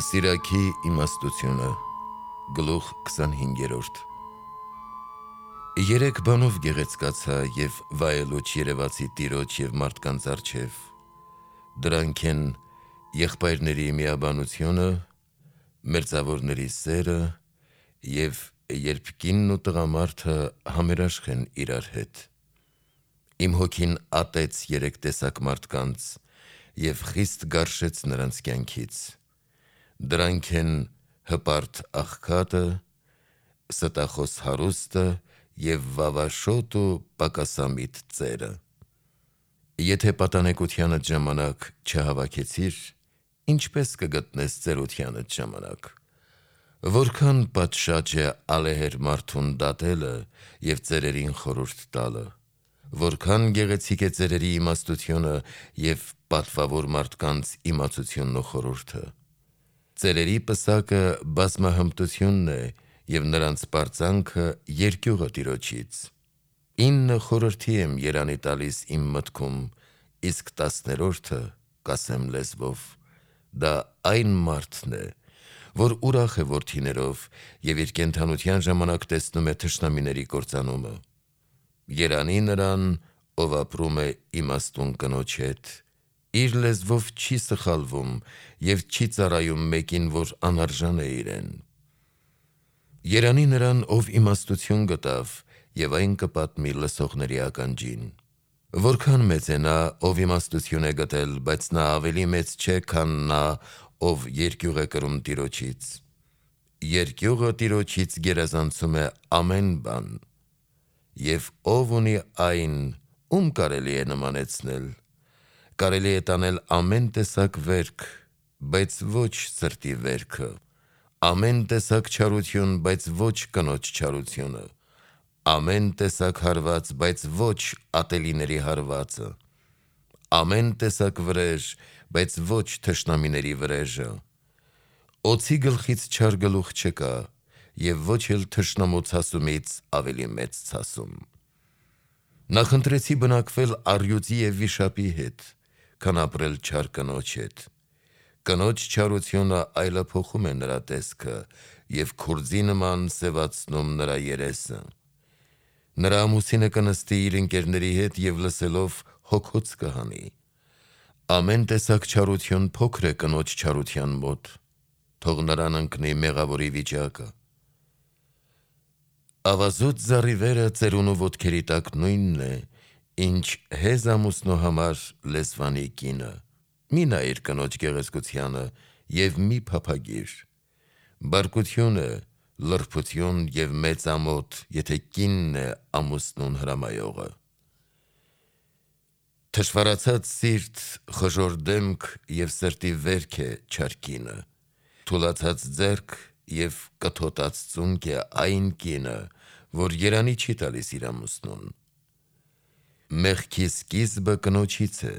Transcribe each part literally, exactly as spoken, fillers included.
Սիրակի իմաստությունը, գլուխ քսանհինգերորդ Երեք բանով գեղեցկացա և վայելուչ երևացի տիրոջ և մարդկանց առջև, դրանք են եղբայրների միաբանությունը, մերձավորների սերը և երբ կինն ու տղամարդը համերաշխ են իրար հետ: Իմ հոգին ատեց երեք տեսակ մարդկանց և խիստ գարշեց նրանց կյանքից: Դրանք են հպարտ աղքատը, ստախոս հարուստը և վավաշոտ ու պակասամիտ ծերը: Եթե պատանեկությանդ ժամանակ չհավաքեցիր, ինչպե՞ս կգտնես ծերությանդ ժամանակ: Որքան պատշաճ է ալեհեր մարդուն դատելը և ծերերին խորհուրդ տալը: Որքան գեղեցիկ է ծերերի իմաստությունը և պատվավոր մարդկանց իմացությունն ու խորհուրդը: Ծերերի պսակը բազմահմտությունն է և նրանց պարծանքը երկյուղը Տիրոջից: Ինը խորհրդի եմ երանի տալիս իմ մտքում, իսկ տասներորդը կասեմ լեզվով: Դա այն մարդն է, որ ուրախ է որդիներով և իր կենդանության ժամանակ տեսնում է թշնամիների կործանումը: Երանի նրան, ով ապրում է իմաստուն կնոջ հետ, իր լեզվով չի սխալվում և չի ծառայում մեկին, որ անարժան է իրեն: Երանի նրան, ով իմաստություն գտավ և այն կպատմի լսողների ականջին: Որքան մեծ է նա, ով իմաստություն է գտել, բայց նա ավելի մեծ չէ, քան նա, ով երկյուղ է կրում Տիրոջից: Երկյուղը Տիրոջից գերազանցում է ամեն բան: Եվ ով ունի այն, ում կարելի է նմանեցնել: Կարելի է տանել ամեն տեսակ վերք, բայց ոչ սրտի վերքը, ամեն տեսակ չարություն, բայց ոչ կնոջ չարությունը, ամեն տեսակ հարված, բայց ոչ ատելիների հարվածը, ամեն տեսակ վրեժ, բայց ոչ թշնամիների վրեժը: Օձի գլխից չար գլուխ չկա և ոչ էլ թշնամու ցասումից ավելի մեծ ցասում: Նախընտրեցի բնակվել առյուծի և վիշապի հետ, քան ապրել չար կնոջ հետ: Կնոջ չարությունը այլափոխում է նրա տեսքը և քուրձի նման սևացնում նրա երեսը: Նրա ամուսինը կնստի իր ընկերների հետ և լսելով հոգոց կհանի: Ամեն տեսակ չարություն փոքր է կնոջ չարության մոտ, թող նրան ընկնի մեղավորի վիճակը: Ավազոտ զառիվերը ծերունու ոտքերի տակ նույնն է, ինչ հեզ ամուսնու համար լեզվանի կինը: Մի նայիր կնոջ գեղեցկությանը և մի փափագիր: Բարկություն է, լրբություն և մեծ ամոթ, եթե կինն է ամուսնուն հրամայողը: Թշվառացած սիրտ, խժոր դեմք և սրտի վերք է չար կինը: Թուլացած ձեռք և կթոտած ծունկ է այն կինը, որ երանի չի տալիս իր ամուսնուն: Մեղքի սկիզբը կնոջից է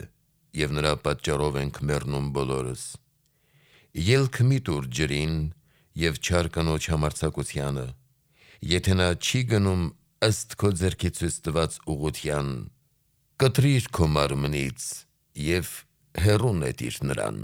և նրա պատճառով ենք մեռնում բոլորս: Ելք մի տուր ջրին և չար կնոջ համարձակությանը: Եթե նա չի գնում ըստ քո ձեռքի ցույց տված ուղղության, կտրիր քո մարմնից և հեռու նետիր նրան: